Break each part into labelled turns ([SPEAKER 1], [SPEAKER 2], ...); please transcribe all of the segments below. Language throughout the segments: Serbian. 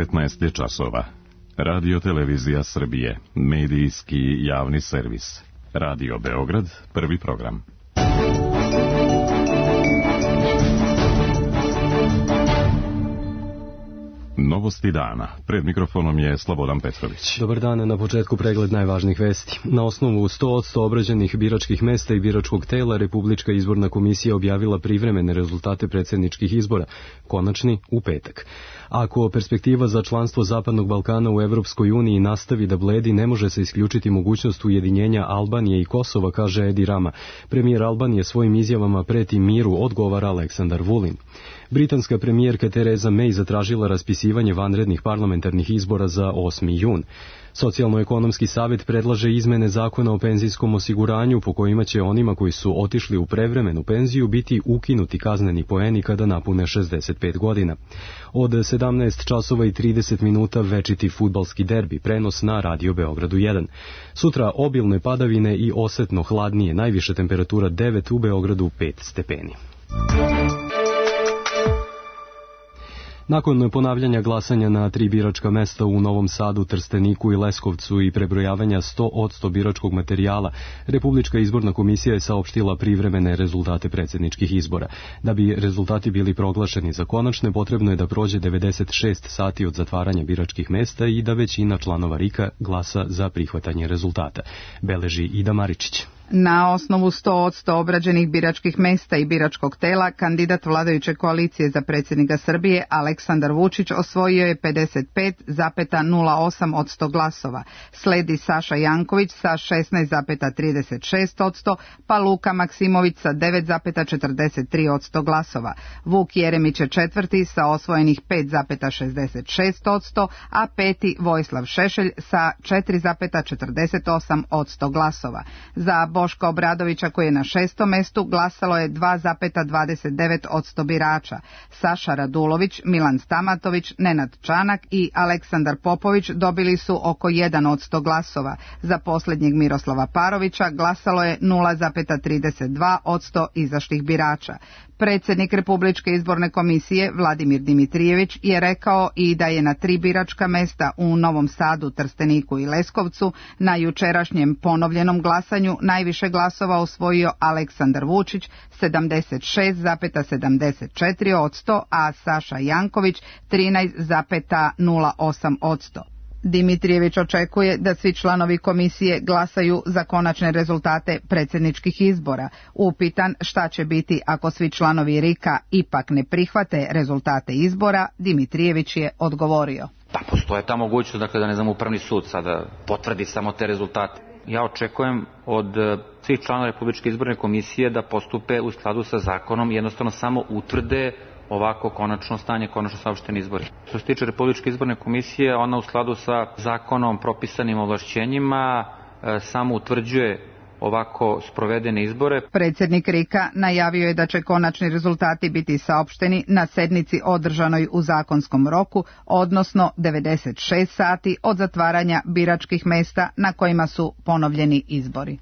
[SPEAKER 1] 19 je časova. Radio Televizija Srbije, medijski javni servis. Radio Beograd, prvi program. Novosti dana. Pred mikrofonom je Slobodan Petrović.
[SPEAKER 2] Dobar dan, na početku pregled najvažnijih vesti. Na osnovu 100% obrađenih biračkih mesta i biračkog tela, Republička izborna komisija objavila privremene rezultate predsjedničkih izbora, konačni u petak. Ako perspektiva za članstvo Zapadnog Balkana u Evropskoj uniji nastavi da bledi, ne može se isključiti mogućnost ujedinjenja Albanije i Kosova, kaže Edi Rama. Premijer Albanije svojim izjavama preti miru, odgovara Aleksandar Vulin. Britanska premijerka Theresa May zatražila raspisivanje vanrednih parlamentarnih izbora za 8. jun. Socijalno-ekonomski savjet predlaže izmene zakona o penzijskom osiguranju po kojima će onima koji su otišli u prevremenu penziju biti ukinuti kazneni poeni kada napune 65 godina. Od 17 časova i 30 minuta večiti fudbalski derbi, prenos na Radio Beogradu 1. Sutra obilne padavine i osetno hladnije, najviša temperatura 9, u Beogradu 5 stepeni. Nakon ponavljanja glasanja na 3 biračka mesta u Novom Sadu, Trsteniku i Leskovcu i prebrojavanja 100% biračkog materijala, Republička izborna komisija je saopštila privremene rezultate predsjedničkih izbora. Da bi rezultati bili proglašeni za konačne, potrebno je da prođe 96 sati od zatvaranja biračkih mesta i da većina članova RIK-a glasa za prihvatanje rezultata, beleži Ida Maričić.
[SPEAKER 3] Na osnovu 100% obrađenih biračkih mesta i biračkog tela, kandidat vladajuće koalicije za predsjednika Srbije Aleksandar Vučić osvojio je 55,08% glasova. Sledi Saša Janković sa 16,36%, pa Luka Maksimović sa 9,43% glasova. Vuk Jeremić je četvrti sa osvojenih 5,66%, a peti Vojislav Šešelj sa 4,48% glasova. Za Boška Obradovića, koji je na 6. mestu, glasalo je 2,29% birača. Saša Radulović, Milan Stamatović, Nenad Čanak i Aleksandar Popović dobili su oko 1% glasova. Za posljednjeg Miroslava Parovića glasalo je 0,32% izašlih birača. Predsjednik Republičke izborne komisije Vladimir Dimitrijević je rekao i da je na 3 biračka mesta u Novom Sadu, Trsteniku i Leskovcu na jučerašnjem ponovljenom glasanju najviše glasova osvojio Aleksandar Vučić 76,74%, a Saša Janković 13,08%. Dimitrijević očekuje da svi članovi komisije glasaju za konačne rezultate predsjedničkih izbora. Upitan šta će biti ako svi članovi RIK-a ipak ne prihvate rezultate izbora, Dimitrijević je odgovorio.
[SPEAKER 4] Pa postoje ta mogućnost, dakle, da Upravni sud sada potvrdi samo te rezultate. Ja očekujem od svih članova Republičke izborne komisije da postupe u skladu sa zakonom, jednostavno samo utvrde ovako konačno stanje, konačno saopšteni izbori. Što se tiče Republičke izborne komisije, ona u skladu sa zakonom propisanim ovlašćenjima samo utvrđuje ovako sprovedene izbore.
[SPEAKER 3] Predsjednik RIK-a najavio je da će konačni rezultati biti saopšteni na sednici održanoj u zakonskom roku, odnosno 96 sati od zatvaranja biračkih mesta na kojima su ponovljeni izbori.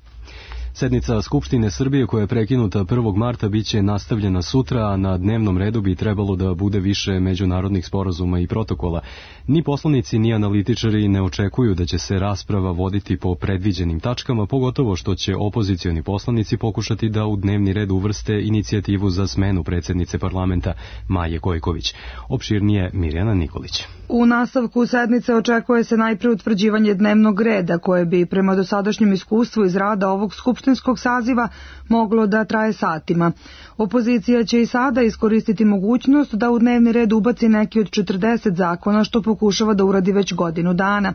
[SPEAKER 2] Sednica Skupštine Srbije, koja je prekinuta 1. marta, bit će nastavljena sutra, a na dnevnom redu bi trebalo da bude više međunarodnih sporazuma i protokola. Ni poslanici, ni analitičari ne očekuju da će se rasprava voditi po predviđenim tačkama, pogotovo što će opozicioni poslanici pokušati da u dnevni red uvrste inicijativu za smenu predsjednice parlamenta Maje Gojković. Opširnije Mirjana Nikolić.
[SPEAKER 5] U nastavku sednice očekuje se najpre utvrđivanje dnevnog reda, koje bi prema dosadašnjem iskustvu iz rada ovog skupštinskog saziva moglo da traje satima. Opozicija će i sada iskoristiti mogućnost da u dnevni red ubaci neki od 40 zakona, što pokušava da uradi već godinu dana.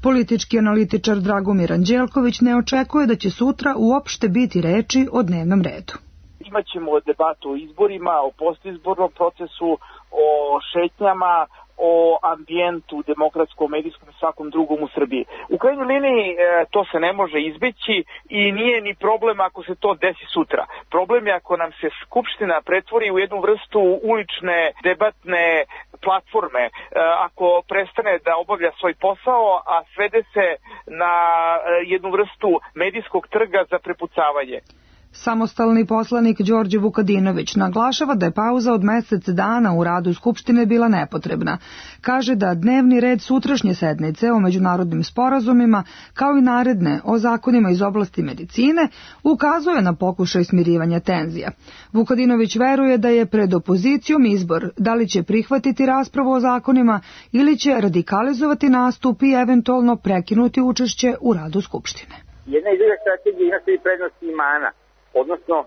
[SPEAKER 5] Politički analitičar Dragomir Anđelković ne očekuje da će sutra uopšte biti reči o dnevnom redu.
[SPEAKER 6] Imaćemo debatu o izborima, o postizbornom procesu, o šetnjama, o ambijentu, demokratskom, medijskom i svakom drugom u Srbiji. U krajnjoj liniji to se ne može izbeći i nije ni problem ako se to desi sutra. Problem je ako nam se Skupština pretvori u jednu vrstu ulične debatne platforme, ako prestane da obavlja svoj posao, a svede se na jednu vrstu medijskog trga za prepucavanje.
[SPEAKER 5] Samostalni poslanik Đorđe Vukadinović naglašava da je pauza od mesec dana u radu Skupštine bila nepotrebna. Kaže da dnevni red sutrašnje sednice o međunarodnim sporazumima, kao i naredne o zakonima iz oblasti medicine, ukazuje na pokušaj smirivanja tenzija. Vukadinović veruje da je pred opozicijom izbor da li će prihvatiti raspravu o zakonima ili će radikalizovati nastup i eventualno prekinuti učešće u radu Skupštine.
[SPEAKER 7] Jedna i druga strategija ima svi prednosti i mana. Odnosno,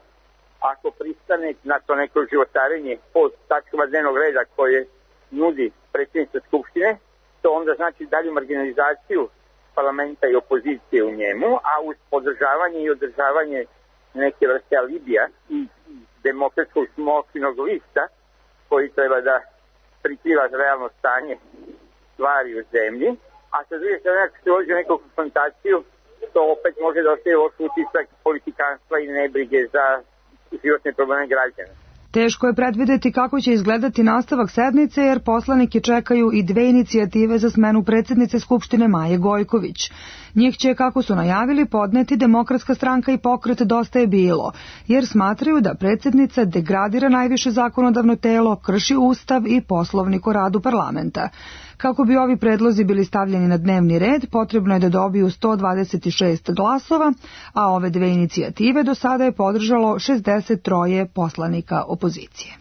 [SPEAKER 7] ako pristane na to neko životarenje po tačkama dnevnog reda koje nudi predsjednica Skupštine, to onda znači dalju marginalizaciju parlamenta i opozicije u njemu, a uz podržavanje i održavanje neke vrste alibija i demokratskog smokvinog lista koji treba da prikriva realno stanje stvari u zemlji, a sa druge strane ako se uđe u neku konfrontaciju, to opet može da ostaje loš utisak politikanstva i nebrige za životne probleme građana.
[SPEAKER 5] Teško je predvideti kako će izgledati nastavak sednice, jer poslanike čekaju i dve inicijative za smenu predsjednice Skupštine Maje Gojković. Njih će, kako su najavili, podneti Demokratska stranka i Pokret Dosta je bilo, jer smatraju da predsjednica degradira najviše zakonodavno telo, krši Ustav i Poslovnik o radu parlamenta. Kako bi ovi predlozi bili stavljeni na dnevni red, potrebno je da dobiju 126 glasova, a ove dve inicijative do sada je podržalo 63 poslanika opozicije.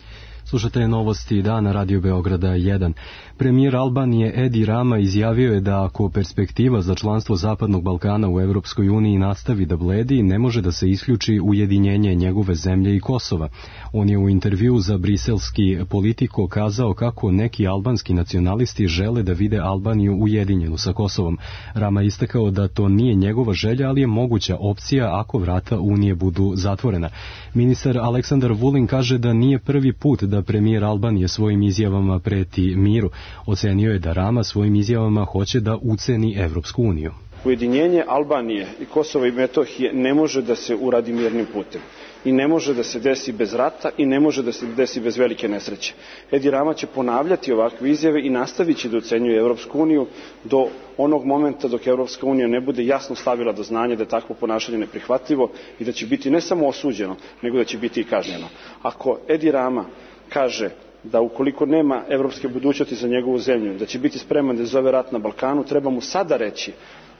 [SPEAKER 2] Slušate novosti dana Radio Beograda 1. Premijer Albanije Edi Rama izjavio je da ako perspektiva za članstvo Zapadnog Balkana u Evropskoj uniji nastavi da bledi, ne može da se isključi ujedinjenje njegove zemlje i Kosova. On je u intervju za briselski Politico kazao kako neki albanski nacionalisti žele da vide Albaniju ujedinjenu sa Kosovom. Rama istakao da to nije njegova želja, ali je moguća opcija ako vrata Unije budu zatvorena. Ministar Aleksandar Vulin kaže da nije prvi put da premijer Albanije svojim izjavama preti miru. Ocenio je da Rama svojim izjavama hoće da uceni Evropsku uniju.
[SPEAKER 8] Ujedinjenje Albanije i Kosova i Metohije ne može da se uradi mirnim putem. I ne može da se desi bez rata i ne može da se desi bez velike nesreće. Edi Rama će ponavljati ovakve izjave i nastavit će da ucenjuje Evropsku uniju do onog momenta dok Evropska unija ne bude jasno stavila do znanja da je takvo ponašanje neprihvatljivo i da će biti ne samo osuđeno, nego da će biti i kažnjeno. Ako Edi Rama kaže da ukoliko nema evropske budućnosti za njegovu zemlju, da će biti spreman da izazove rat na Balkanu, treba mu sada reći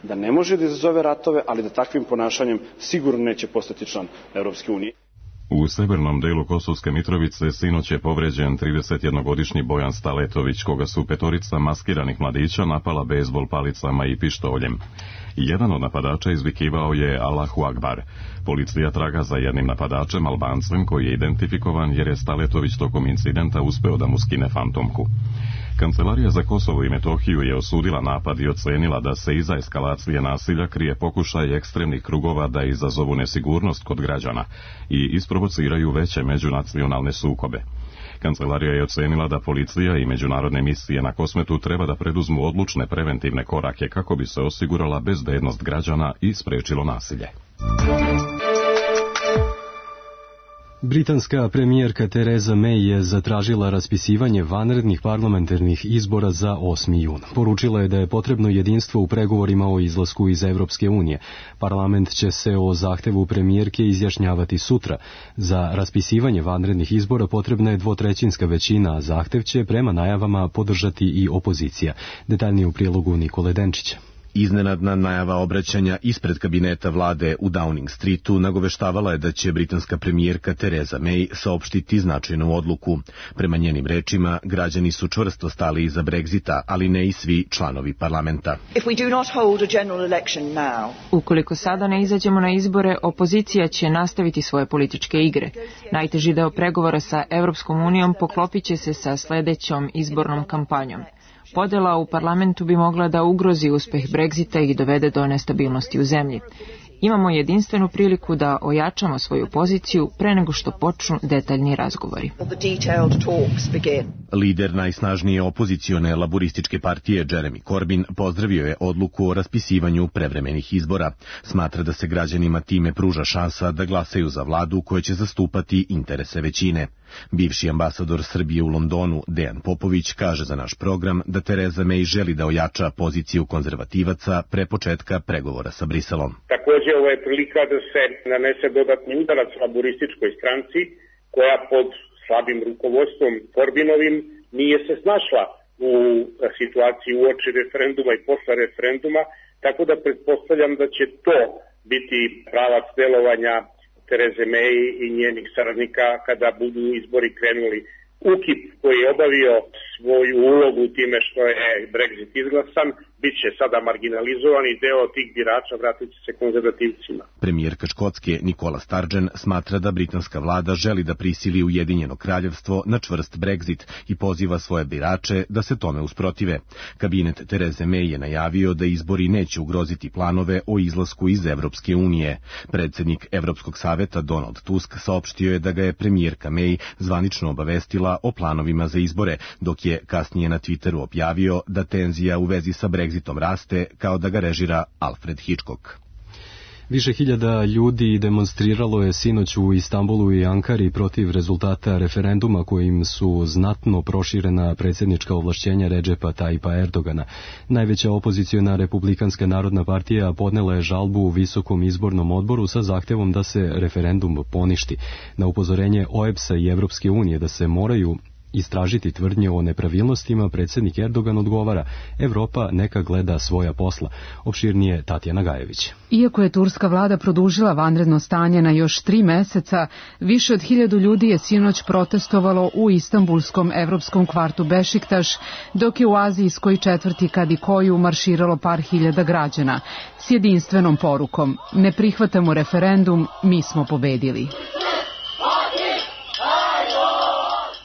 [SPEAKER 8] da ne može da izazove ratove, ali da takvim ponašanjem sigurno neće postati član Evropske unije.
[SPEAKER 1] U severnom delu Kosovske Mitrovice sinoć je povređen 31-godišnji Bojan Staletović, koga su petorica maskiranih mladića napala bejzbol palicama i pištoljem. Jedan od napadača izvikivao je Allahu Akbar. Policija traga za jednim napadačem, Albancem, koji je identifikovan jer je Staletović tokom incidenta uspeo da mu skine fantomku. Kancelarija za Kosovo i Metohiju je osudila napad i ocenila da se iza eskalacije nasilja krije pokušaj ekstremnih krugova da izazovu nesigurnost kod građana i isprovociraju veće međunacionalne sukobe. Kancelarija je ocenila da policija i međunarodne misije na Kosmetu treba da preduzmu odlučne preventivne korake kako bi se osigurala bezbednost građana i sprečilo nasilje.
[SPEAKER 2] Britanska premijerka Theresa May je zatražila raspisivanje vanrednih parlamentarnih izbora za 8. jun. Poručila je da je potrebno jedinstvo u pregovorima o izlasku iz Evropske unije. Parlament će se o zahtevu premijerke izjašnjavati sutra. Za raspisivanje vanrednih izbora potrebna je 2/3 većina, a zahtev će prema najavama podržati i opozicija. Detaljnije u prilogu Nikole Denčića.
[SPEAKER 9] Iznenadna najava obraćanja ispred kabineta vlade u Downing Streetu nagoveštavala je da će britanska premijerka Theresa May saopštiti značajnu odluku. Prema njenim rečima, građani su čvrsto stali iza Brexita, ali ne i svi članovi parlamenta.
[SPEAKER 10] Ukoliko sada ne izađemo na izbore, opozicija će nastaviti svoje političke igre. Najteži deo pregovora sa Evropskom unijom poklopit će se sa sledećom izbornom kampanjom. Podela u parlamentu bi mogla da ugrozi uspeh Brexita i dovede do nestabilnosti u zemlji. Imamo jedinstvenu priliku da ojačamo svoju poziciju pre nego što počnu detaljni razgovori.
[SPEAKER 9] Lider najsnažnije opozicione laburističke partije Jeremy Corbyn pozdravio je odluku o raspisivanju prevremenih izbora. Smatra da se građanima time pruža šansa da glasaju za vladu koja će zastupati interese većine. Bivši ambasador Srbije u Londonu, Dejan Popović, kaže za naš program da Tereza May želi da ojača poziciju konzervativaca pre početka pregovora sa Briselom.
[SPEAKER 11] Takođe, ovo je prilika da se nanese dodatni udarac laburističkoj stranci, koja pod slabim rukovodstvom Corbynovim nije se snašla u situaciji uoči referenduma i posle referenduma, tako da pretpostavljam da će to biti pravac delovanja Tereze May i njenih saradnika kada budu izbori krenuli. UKIP koji je obavio svoju ulogu time što je Brexit izglasan, bit će sada marginalizovan i deo tih birača vratit će se konzervativcima.
[SPEAKER 9] Premijerka Škotske Nicola Sturgeon smatra da britanska vlada želi da prisili Ujedinjeno kraljevstvo na čvrst Brexit i poziva svoje birače da se tome usprotive. Kabinet Tereze May je najavio da izbori neće ugroziti planove o izlasku iz Evropske unije. Predsednik Evropskog saveta Donald Tusk saopštio je da ga je premijerka May zvanično obavestila o planovima za izbore, dok je kasnije na Twitteru objavio da tenzija u vezi sa Brexitom raste kao da ga režira Alfred Hitchcock.
[SPEAKER 2] Više hiljada ljudi demonstriralo je sinoć u Istanbulu i Ankari protiv rezultata referenduma kojim su znatno proširena predsjednička ovlašćenja Redžepa Tayyipa Erdogana. Najveća opoziciona Republikanska narodna partija podnela je žalbu u Visokom izbornom odboru sa zahtevom da se referendum poništi. Na upozorenje OEBS-a i Evropske unije da se moraju istražiti tvrdnje o nepravilnostima, predsjednik Erdogan odgovara: Evropa neka gleda svoja posla. Opširnije Tatjana Gajević.
[SPEAKER 12] Iako je turska vlada produžila vanredno stanje na još 3 meseca, više od 1000 ljudi je sinoć protestovalo u istanbulskom evropskom kvartu Bešiktaš, dok je u azijskoj četvrti Kadikoju marširalo par hiljada građana s jedinstvenom porukom: ne prihvatamo referendum, mi smo pobedili.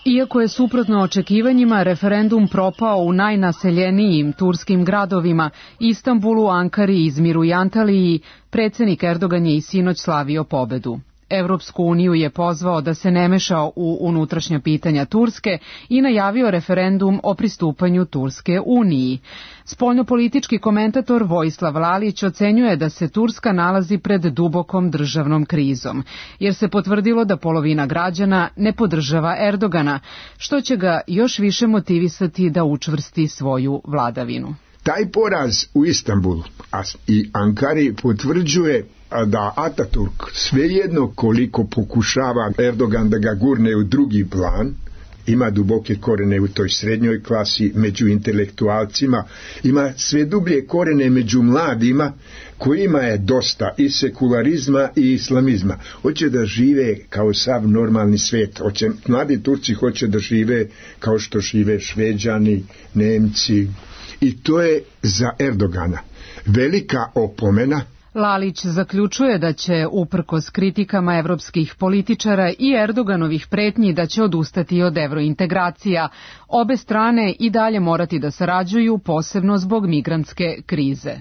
[SPEAKER 12] Iako je suprotno očekivanjima referendum propao u najnaseljenijim turskim gradovima Istanbulu, Ankari, Izmiru i Antaliji, predsjednik Erdogan je i sinoć slavio pobedu. Evropsku uniju je pozvao da se ne meša u unutrašnja pitanja Turske i najavio referendum o pristupanju Turske Uniji. Spoljnopolitički komentator Vojislav Lalić ocenjuje da se Turska nalazi pred dubokom državnom krizom, jer se potvrdilo da polovina građana ne podržava Erdogana, što će ga još više motivisati da učvrsti svoju vladavinu.
[SPEAKER 13] Taj poraz u Istanbulu i Ankari potvrđuje da Ataturk svejedno koliko pokušava Erdogan da ga gurne u drugi plan, ima duboke korene u toj srednjoj klasi, među intelektualcima, ima sve dublje korene među mladima, kojima je dosta i sekularizma i islamizma. Hoće da žive kao sav normalni svijet. Mladi Turci hoće da žive kao što žive Šveđani, Nemci. I to je za Erdogana velika opomena.
[SPEAKER 12] Lalić zaključuje da će, uprkos kritikama evropskih političara i Erdoganovih pretnji da će odustati od evrointegracija, obe strane i dalje morati da sarađuju, posebno zbog migrantske krize.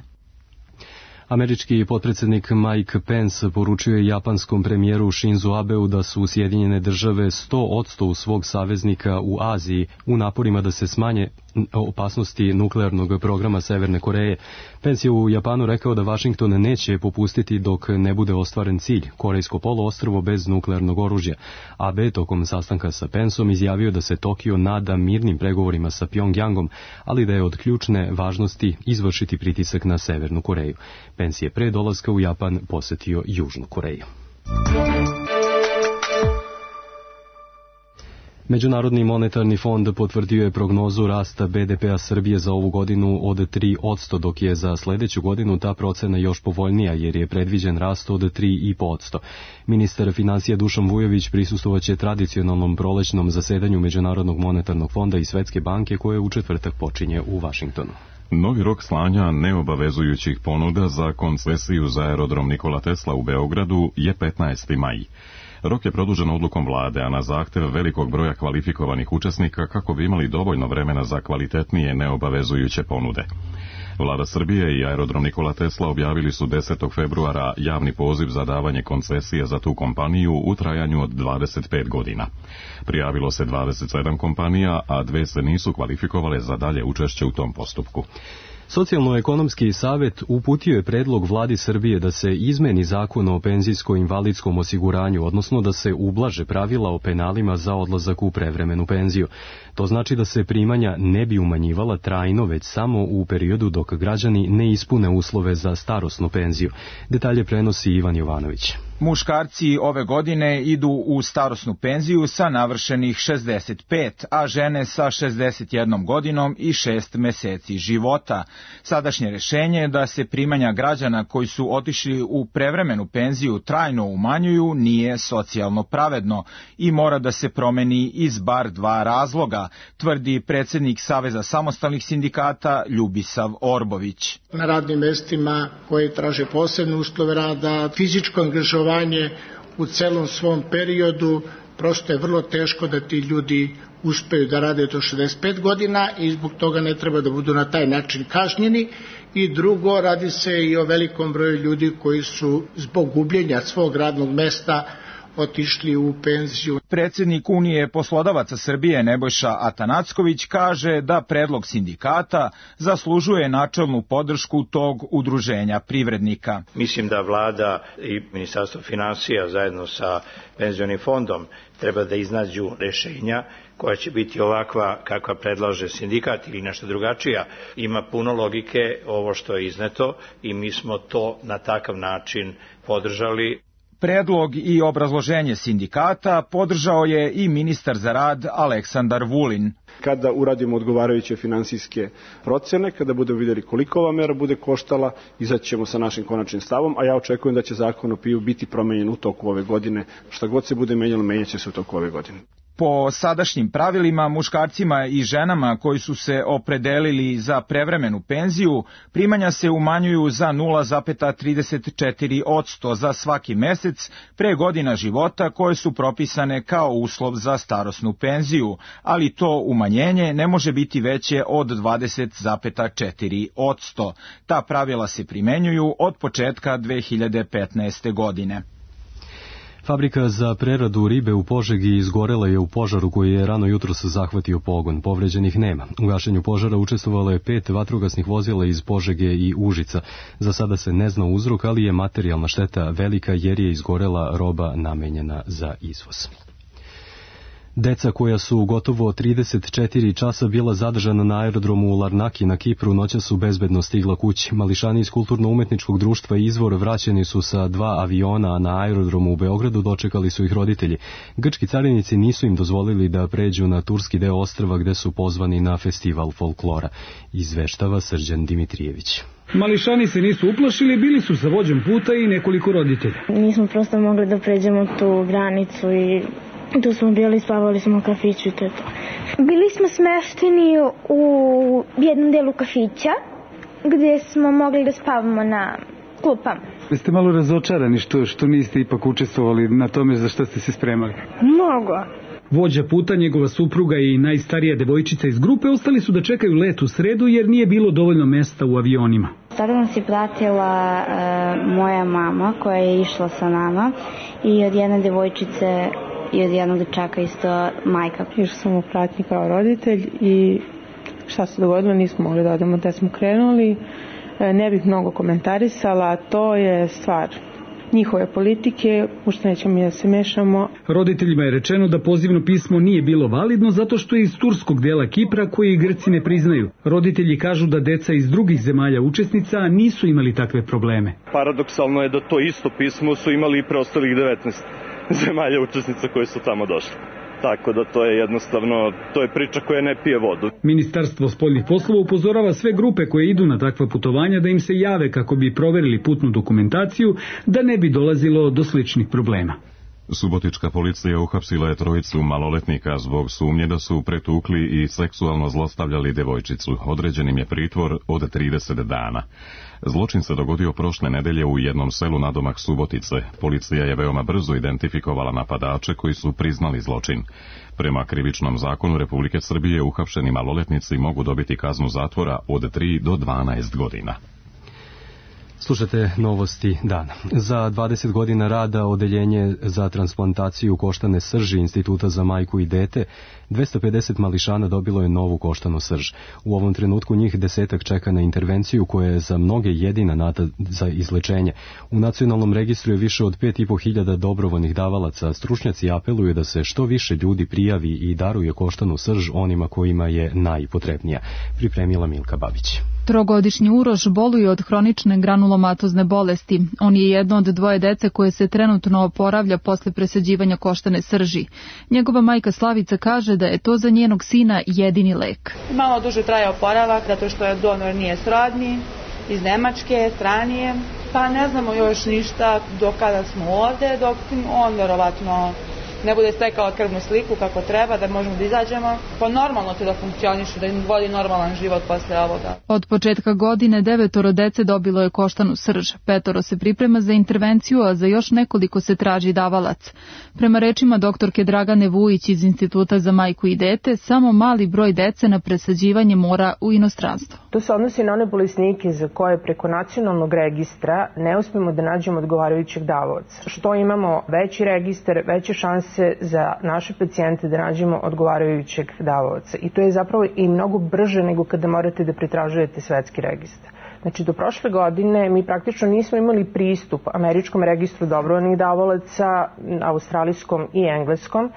[SPEAKER 2] Američki potpredsjednik Mike Pence poručio je japanskom premijeru Shinzo Abeu da su Sjedinjene države 100% u svog saveznika u Aziji u naporima da se smanje opasnosti nuklearnog programa Severne Koreje. Pence je u Japanu rekao da Vašington neće popustiti dok ne bude ostvaren cilj, Korejsko poluostrvo bez nuklearnog oružja. Abe tokom sastanka sa Penceom izjavio da se Tokio nada mirnim pregovorima sa Pjongjangom, ali da je od ključne važnosti izvršiti pritisak na Severnu Koreju. Pence je pre dolaska u Japan posetio Južnu Koreju. Međunarodni monetarni fond potvrdio je prognozu rasta BDP-a Srbije za ovu godinu od 3%, dok je za sledeću godinu ta procena još povoljnija jer je predviđen rast od 3,5%. Ministar financija Dušan Vujović prisustvovaće tradicionalnom prolećnom zasedanju Međunarodnog monetarnog fonda i Svetske banke koje u četvrtak počinje u Vašingtonu.
[SPEAKER 1] Novi rok slanja neobavezujućih ponuda za koncesiju za aerodrom Nikola Tesla u Beogradu je 15. maj. Rok je produžen odlukom vlade, a na zahtev velikog broja kvalifikovanih učesnika kako bi imali dovoljno vremena za kvalitetnije neobavezujuće ponude. Vlada Srbije i aerodrom Nikola Tesla objavili su 10. februara javni poziv za davanje koncesije za tu kompaniju u trajanju od 25 godina. Prijavilo se 27 kompanija, a 2 se nisu kvalifikovale za dalje učešće u tom postupku.
[SPEAKER 2] Socijalno-ekonomski savet uputio je predlog vladi Srbije da se izmeni zakon o penzijsko-invalidskom osiguranju, odnosno da se ublaže pravila o penalima za odlazak u prevremenu penziju. To znači da se primanja ne bi umanjivala trajno, već samo u periodu dok građani ne ispune uslove za starosnu penziju. Detalje prenosi Ivan Jovanović.
[SPEAKER 14] Muškarci ove godine idu u starosnu penziju sa navršenih 65, a žene sa 61 godinom i 6 meseci života. Sadašnje rešenje je da se primanja građana koji su otišli u prevremenu penziju trajno umanjuju nije socijalno pravedno i mora da se promeni iz bar 2 razloga, tvrdi predsednik Saveza samostalnih sindikata Ljubisav Orbović.
[SPEAKER 15] Na radnim mestima koje traže posebne uslove rada, fizičko angažovanje u celom svom periodu, prosto je vrlo teško da ti ljudi uspeju da rade do 65 godina i zbog toga ne treba da budu na taj način kažnjeni. I drugo, radi se i o velikom broju ljudi koji su zbog gubljenja svog radnog mesta otišli u penziju.
[SPEAKER 14] Predsednik Unije poslodavaca Srbije Nebojša Atanacković kaže da predlog sindikata zaslužuje načelnu podršku tog udruženja privrednika.
[SPEAKER 16] Mislim da vlada i Ministarstvo finansija zajedno sa penzionim fondom treba da iznađu rešenja koja će biti ovakva kakva predlaže sindikat ili nešto drugačija. Ima puno logike ovo što je izneto i mi smo to na takav način podržali.
[SPEAKER 14] Predlog i obrazloženje sindikata podržao je i ministar za rad Aleksandar Vulin.
[SPEAKER 8] Kada uradimo odgovarajuće finansijske procene, kada budemo vidjeli koliko ova mera bude koštala, izaćemo sa našim konačnim stavom, a ja očekujem da će zakon o PIO biti promenjen u toku ove godine. Šta god se bude menjalo, menjaće se u toku ove godine.
[SPEAKER 14] Po sadašnjim pravilima, muškarcima i ženama koji su se opredelili za prevremenu penziju, primanja se umanjuju za 0,34% za svaki mesec pre godina života koje su propisane kao uslov za starosnu penziju, ali to umanjenje ne može biti veće od 20,4%. Ta pravila se primenjuju od početka 2015. godine.
[SPEAKER 2] Fabrika za preradu ribe u Požegi izgorela je u požaru koji je rano jutros zahvatio pogon. Povređenih nema. U gašenju požara učestvovalo je 5 vatrogasnih vozila iz Požege i Užica. Za sada se ne zna uzrok, ali je materijalna šteta velika jer je izgorela roba namenjena za izvoz. Deca koja su gotovo 34 časa bila zadržana na aerodromu u Larnaki na Kipru noćas su bezbedno stigla kući. Mališani iz Kulturno-umetničkog društva Izvor vraćeni su sa 2 aviona, a na aerodromu u Beogradu dočekali su ih roditelji. Grčki carinici nisu im dozvolili da pređu na turski deo ostrva gde su pozvani na festival folklora. Izveštava Srđan Dimitrijević.
[SPEAKER 17] Mališani se nisu uplašili, bili su sa vođom puta i nekoliko roditelja.
[SPEAKER 18] Nismo prosto mogli da pređemo tu granicu i tu smo bili, spavali smo u kafiću i to je to. Bili smo smešteni u jednom delu kafića gdje smo mogli da spavamo na klupama.
[SPEAKER 17] Jeste malo razočarani što niste ipak učestvovali na tome za što ste se spremali?
[SPEAKER 18] Mnogo.
[SPEAKER 17] Vođa puta, njegova supruga i najstarija devojčica iz grupe ostali su da čekaju let u sredu jer nije bilo dovoljno mesta u avionima.
[SPEAKER 18] Sada nas je pratila moja mama koja je išla sa nama i od jedne devojčice i od jednog dečaka isto majka.
[SPEAKER 19] Išla sam u pratnji kao roditelj i šta se dogodilo, nismo mogli da odemo da smo krenuli. Ne bih mnogo komentarisala, to je stvar njihove politike, u što nećemo mi da se mešamo.
[SPEAKER 17] Roditeljima je rečeno da pozivno pismo nije bilo validno zato što je iz turskog dela Kipra koji Grci ne priznaju. Roditelji kažu da deca iz drugih zemalja učesnica nisu imali takve probleme.
[SPEAKER 20] Paradoksalno je da to isto pismo su imali i preostalih 19 zemalja učesnica koje su tamo došle. Tako da to je jednostavno, to je priča koja ne pije vodu.
[SPEAKER 17] Ministarstvo spoljnih poslova upozorava sve grupe koje idu na takva putovanja da im se jave kako bi proverili putnu dokumentaciju da ne bi dolazilo do sličnih problema.
[SPEAKER 1] Subotička policija uhapsila je trojicu maloletnika zbog sumnje da su pretukli i seksualno zlostavljali devojčicu. Određen im je pritvor od 30 dana. Zločin se dogodio prošle nedelje u jednom selu nadomak Subotice. Policija je veoma brzo identifikovala napadače koji su priznali zločin. Prema krivičnom zakonu Republike Srbije uhapšeni maloletnici mogu dobiti kaznu zatvora od 3 do 12 godina.
[SPEAKER 2] Slušate novosti dana. Za 20 godina rada Odeljenje za transplantaciju koštane srži Instituta za majku i dete, 250 mališana dobilo je novu koštanu srž. U ovom trenutku njih 10 čeka na intervenciju koja je za mnoge jedina nada za izlečenje. U nacionalnom registru je više od 5.500 dobrovoljnih davalaca. Stručnjaci apeluju da se što više ljudi prijavi i daruje koštanu srž onima kojima je najpotrebnija. Pripremila Milka Babić.
[SPEAKER 21] Trogodišnji Uroš boluje od hronične granulomatozne bolesti. On je jedno od dvoje dece koje se trenutno oporavlja posle presađivanja koštane srži. Njegova majka Slavica kaže da je to za njenog sina jedini lek.
[SPEAKER 22] Malo duže traje oporavak, zato što je donor nije srodni, iz Nemačke, stranije. Pa ne znamo još ništa do kada smo ovde, dok on verovatno ne bude stekao krvnu sliku kako treba, da možemo da izađemo. Pa normalno će da funkcionišu, da im vodi normalan život posle ovoga.
[SPEAKER 21] Od početka godine 9 dece dobilo je koštanu srž. 5 se priprema za intervenciju, a za još nekoliko se traži davalac. Prema rečima doktorke Dragane Vujić iz Instituta za majku i dete, samo mali broj dece na presađivanje mora u inostranstvo.
[SPEAKER 23] To se odnosi na one bolesnike za koje preko nacionalnog registra ne uspemo da nađemo odgovarajućeg davaoca. Što imamo veći registar, veće šanse za naše pacijente da nađemo odgovarajućeg davaoca. I to je zapravo i mnogo brže nego kada morate da pretražujete svetski registar. Znači, do prošle godine mi praktično nismo imali pristup američkom registru dobrovoljnih davalaca, australijskom i engleskom.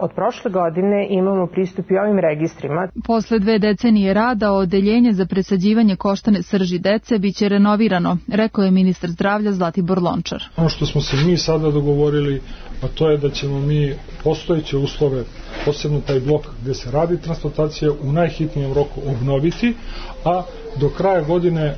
[SPEAKER 23] Od prošle godine imamo pristup i ovim registrima.
[SPEAKER 21] Posle 2 decenije rada, Odeljenje za presađivanje koštane srži dece biće renovirano, rekao je ministar zdravlja Zlatibor Lončar.
[SPEAKER 24] Ono što smo se mi sada dogovorili, a to je da ćemo mi postojeće uslove, posebno taj blok gde se radi transplantacija, u najhitnijem roku obnoviti, a do kraja godine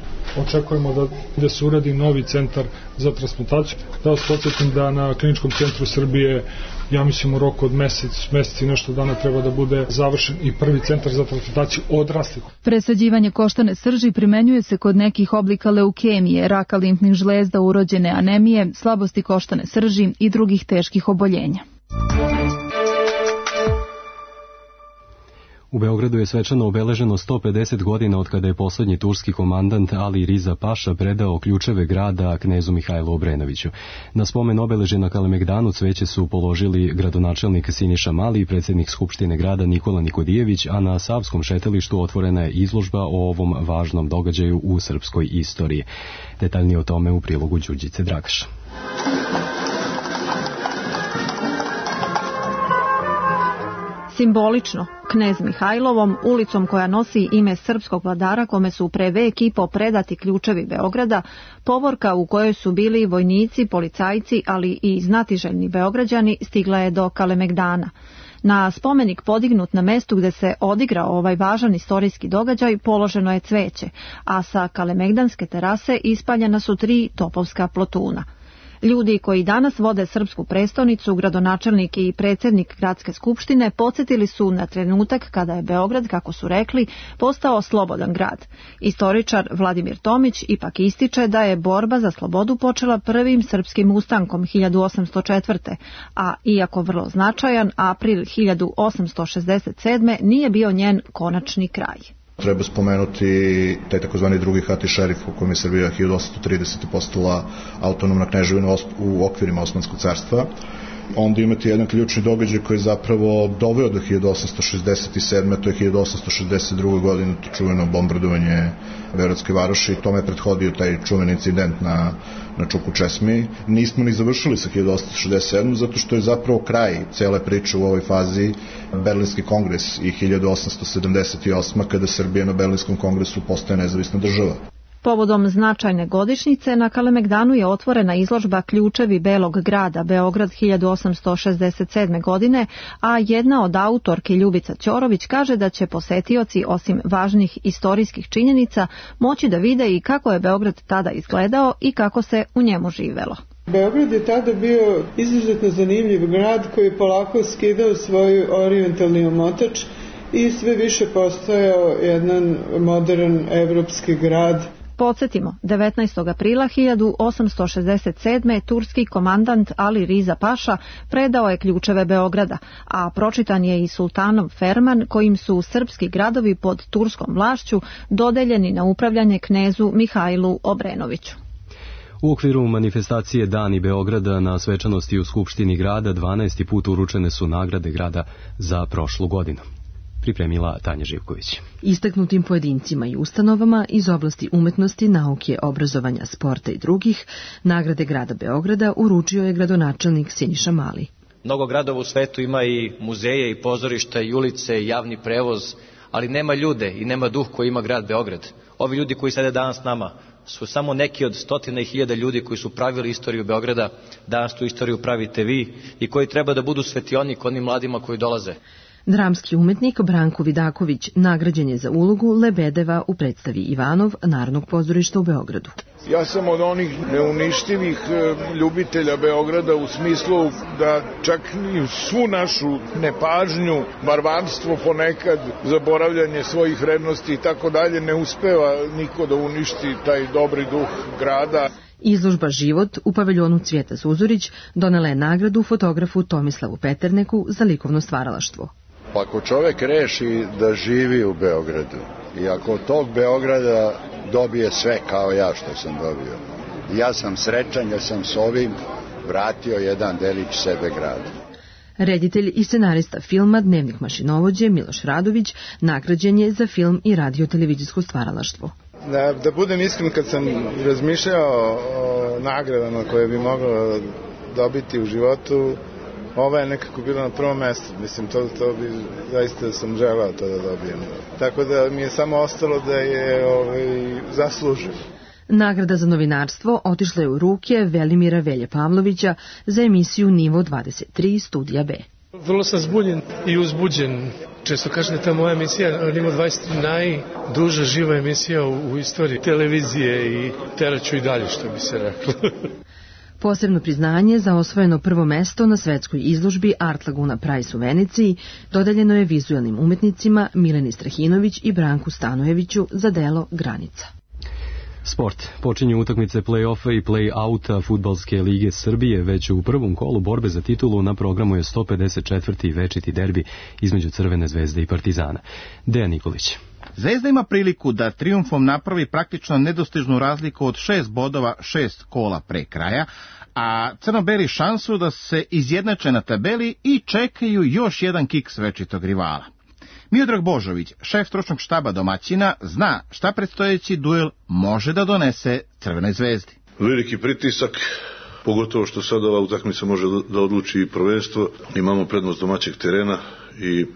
[SPEAKER 24] očekujemo da se uradi novi centar za transplantaciju. Da vas podsjetim da na Kliničkom centru Srbije, ja mislim u roku od mesec i nešto dana treba da bude završen i prvi centar za transplantaciju odraslih.
[SPEAKER 21] Presađivanje koštane srži primenjuje se kod nekih oblika leukemije, raka limfnih žlezda, urođene anemije, slabosti koštane srži i drugih teških oboljenja.
[SPEAKER 2] U Beogradu je svečano obeleženo 150 godina od kada je poslednji turski komandant Ali Riza Paša predao ključeve grada knezu Mihajlu Obrenoviću. Na spomen obeležja na Kalemegdanu cveće su položili gradonačelnik Siniša Mali i predsjednik Skupštine grada Nikola Nikodijević, a na Savskom šetalištu otvorena je izložba o ovom važnom događaju u srpskoj istoriji. Detaljnije o tome u prilogu Đurđice Dragaš.
[SPEAKER 25] Simbolično, knez Mihajlovom, ulicom koja nosi ime srpskog vladara kome su pre vek i po predati ključevi Beograda, povorka u kojoj su bili vojnici, policajci, ali i znatiželjni Beograđani, stigla je do Kalemegdana. Na spomenik podignut na mestu gde se odigrao ovaj važan istorijski događaj položeno je cveće, a sa Kalemegdanske terase ispaljena su 3 topovska plotuna. Ljudi koji danas vode srpsku prestonicu, gradonačelnik i predsjednik gradske skupštine, podsjetili su na trenutak kada je Beograd, kako su rekli, postao slobodan grad. Istoričar Vladimir Tomić ipak ističe da je borba za slobodu počela prvim srpskim ustankom 1804. A iako vrlo značajan, april 1867. nije bio njen konačni kraj.
[SPEAKER 26] Treba spomenuti taj takozvani drugi Hati šerif u kojem je Srbija 1830. postala autonomna kneževina u okvirima Osmanskog carstva. Onda imate jedan ključni događaj koji je zapravo doveo do 1867. To je 1862. godine, to čuveno bombardovanje Beogradske varoši. Tome je prethodio taj čuveni incident na Čuku Česmi. Nismo ni završili sa 1867. zato što je zapravo kraj cele priče u ovoj fazi Berlinski kongres i 1878. kada Srbija na Berlinskom kongresu postaje nezavisna država.
[SPEAKER 25] Povodom značajne godišnjice na Kalemegdanu je otvorena izložba Ključevi Belog grada Beograd 1867. godine, a jedna od autorki Ljubica Ćorović kaže da će posetioci osim važnih istorijskih činjenica moći da vide i kako je Beograd tada izgledao i kako se u njemu živelo.
[SPEAKER 3] Beograd je tada bio izuzetno zanimljiv grad koji je polako skidao svoj orijentalni omotač i sve više postajao jedan modern evropski grad.
[SPEAKER 25] Podsjetimo, 19. aprila 1867. turski komandant Ali Riza Paša predao je ključeve Beograda, a pročitan je i sultanov ferman kojim su srpski gradovi pod turskom vlašću dodeljeni na upravljanje knezu Mihajlu Obrenoviću.
[SPEAKER 2] U okviru manifestacije Dani Beograda na svečanosti u Skupštini grada 12. put uručene su nagrade grada za prošlu godinu. Pripremila Tanja Živković.
[SPEAKER 4] Istaknutim pojedincima i ustanovama iz oblasti umetnosti, nauke, obrazovanja, sporta i drugih, nagrade grada Beograda uručio je gradonačelnik Siniša Mali.
[SPEAKER 5] Mnogo gradova u svetu ima i muzeje, i pozorišta, i ulice, i javni prevoz, ali nema ljude i nema duh koji ima grad Beograd. Ovi ljudi koji sede danas s nama su samo neki od stotina i hiljada ljudi koji su pravili istoriju Beograda, danas tu istoriju pravite vi i koji treba da budu svetionik onim mladima koji dolaze.
[SPEAKER 4] Dramski umetnik Branko Vidaković nagrađen je za ulogu Lebedeva u predstavi Ivanov Narodnog pozorišta u Beogradu.
[SPEAKER 6] Ja sam od onih neuništivih ljubitelja Beograda u smislu da čak i svu našu nepažnju, varvarstvo ponekad, zaboravljanje svojih vrednosti i tako dalje, ne uspeva niko da uništi taj dobri duh grada.
[SPEAKER 4] Izložba Život u paviljonu Cvijeta Zuzorić donela je nagradu fotografu Tomislavu Peterneku za likovno stvaralaštvo.
[SPEAKER 7] Pa ako čovek reši da živi u Beogradu i ako od tog Beograda dobije sve kao ja što sam dobio, ja sam srećan jer sam s ovim vratio jedan delić sebe gradu.
[SPEAKER 4] Reditelj i scenarista filma Dnevnik mašinovođe Miloš Radović nagrađen je za film i radio-televizijsko stvaralaštvo.
[SPEAKER 10] Da budem iskren, kad sam razmišljao o nagradama koje bi moglo dobiti u životu, ova je nekako bila na prvom mjestu. Mislim, to bi zaista sam želao to da dobijem. Tako da mi je samo ostalo da je zaslužim.
[SPEAKER 4] Nagrada za novinarstvo otišla je u ruke Velimira Velje Pavlovića za emisiju Nivo 23 Studija B.
[SPEAKER 27] Vrlo sam zbunjen i uzbuđen. Često kažem da ta moja emisija Nivo 23 najduža živa emisija u istoriji televizije i teraću i dalje, što bi se reklo.
[SPEAKER 4] Posebno priznanje za osvojeno prvo mesto na svetskoj izložbi Art Laguna Prize u Veneciji dodeljeno je vizualnim umetnicima Mileni Strahinović i Branku Stanojeviću za delo Granica.
[SPEAKER 2] Sport. Počinju utakmice play-offa i play-outa Fudbalske lige Srbije. Već u prvom kolu borbe za titulu na programu je 154. večiti derbi između Crvene zvezde i Partizana. Dejan Nikolić.
[SPEAKER 28] Zvezda ima priliku da trijumfom napravi praktično nedostižnu razliku od 6 bodova 6 kola pre kraja, a crno-beli šansu da se izjednače na tabeli i čekaju još jedan kiks večitog rivala. Miodrag Božović, šef stručnog štaba domaćina, zna šta predstojeći duel može da donese Crvenoj zvezdi.
[SPEAKER 29] Veliki pritisak, pogotovo što sad ova utakmica može da odluči prvenstvo. Imamo prednost domaćeg terena i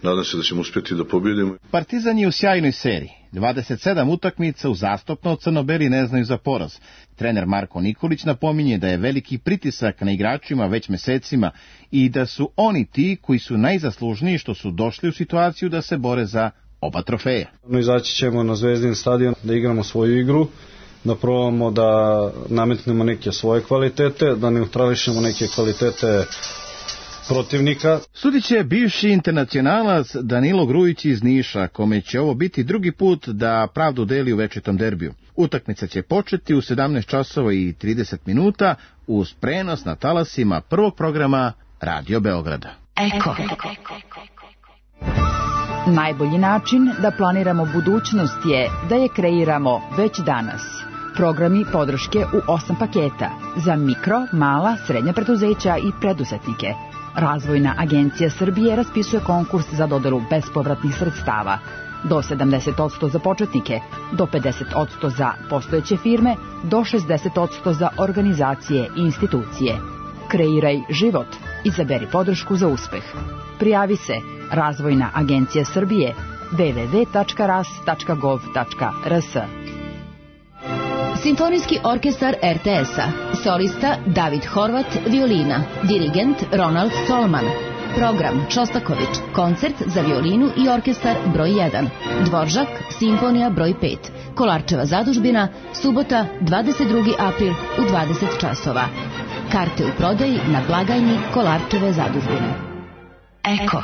[SPEAKER 29] nadam se da ćemo uspjeti da pobjedimo.
[SPEAKER 28] Partizan je u sjajnoj seriji. 27 utakmica uzastopno, crno-beli ne znaju za poraz. Trener Marko Nikolić napominje da je veliki pritisak na igračima već mesecima i da su oni ti koji su najzaslužniji što su došli u situaciju da se bore za oba trofeja.
[SPEAKER 30] Izaći ćemo na Zvezdin stadion da igramo svoju igru, da probamo da nametnemo neke svoje kvalitete, da neutrališemo neke kvalitete protivnika.
[SPEAKER 28] Sudit će bivši internacionalac Danilo Grujić iz Niša, kome će ovo biti drugi put da pravdu deli u večitom derbiju. Utakmica će početi u 17 časova i 30 minuta uz prenos na talasima prvog programa Radio Beograda.
[SPEAKER 31] Eko. Najbolji način da planiramo budućnost je da je kreiramo već danas. Programi podrške u 8 paketa za mikro, mala, srednja preduzeća i preduzetnike. Razvojna agencija Srbije raspisuje konkurs za dodelu bespovratnih sredstava. Do 70% za početnike, do 50% za postojeće firme, do 60% za organizacije i institucije. Kreiraj život. Izaberi podršku za uspeh. Prijavi se Razvojna agencija Srbije www.ras.gov.rs.
[SPEAKER 32] Simfonijski orkestar RTS-a. Solista David Horvat, violina. Dirigent Ronald Solman. Program Šostaković. Koncert za violinu i orkestar broj 1. Dvoržak, simfonija broj 5. Kolarčeva zadužbina, subota 22. april u 20 časova. Karte u prodaji na blagajni Kolarčeve zadužbine. Eko.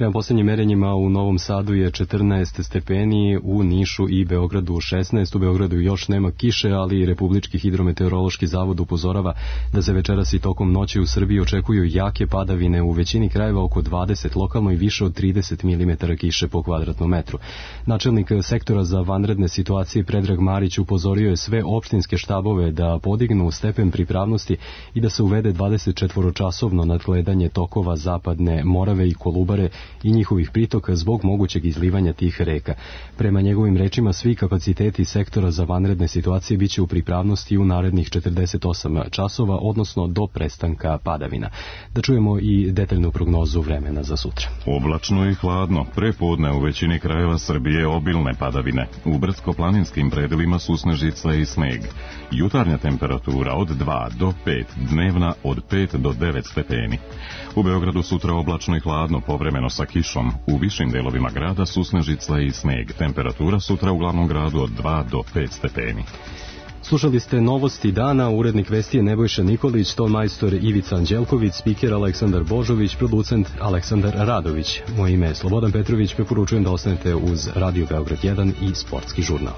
[SPEAKER 2] Prema posljednjim merenjima u Novom Sadu je 14 stepeni, u Nišu i Beogradu 16. U Beogradu još nema kiše, ali Republički hidrometeorološki zavod upozorava da se večeras i tokom noći u Srbiji očekuju jake padavine, u većini krajeva oko 20, lokalno i više od 30 mm kiše po kvadratnom metru. Načelnik sektora za vanredne situacije Predrag Marić upozorio je sve opštinske štabove da podignu stepen pripravnosti i da se uvede 24-časovno nadgledanje tokova Zapadne Morave i Kolubare i njihovih pritoka zbog mogućeg izlivanja tih reka. Prema njegovim rečima, svi kapaciteti sektora za vanredne situacije biće u pripravnosti u narednih 48 časova, odnosno do prestanka padavina. Da čujemo i detaljnu prognozu vremena za sutra.
[SPEAKER 1] Oblačno i hladno. Prepodne u većini krajeva Srbije obilne padavine. U brdsko-planinskim predelima susnežica i sneg. Jutarnja temperatura od 2 do 5, dnevna od 5 do 9 stepeni. U Beogradu sutra oblačno i hladno, povremeno sa kišom. U višim delovima grada susnežica i sneg. Temperatura sutra u glavnom gradu od 2 do 5 stepeni.
[SPEAKER 2] Slušali ste novosti dana, urednik vesti je Nebojša Nikolić, tonmajstor Ivica Anđelković, spiker Aleksandar Božović, producent Aleksandar Radović. Moje ime je Slobodan Petrović, preporučujem da ostanete uz Radio Beograd 1 i Sportski žurnal.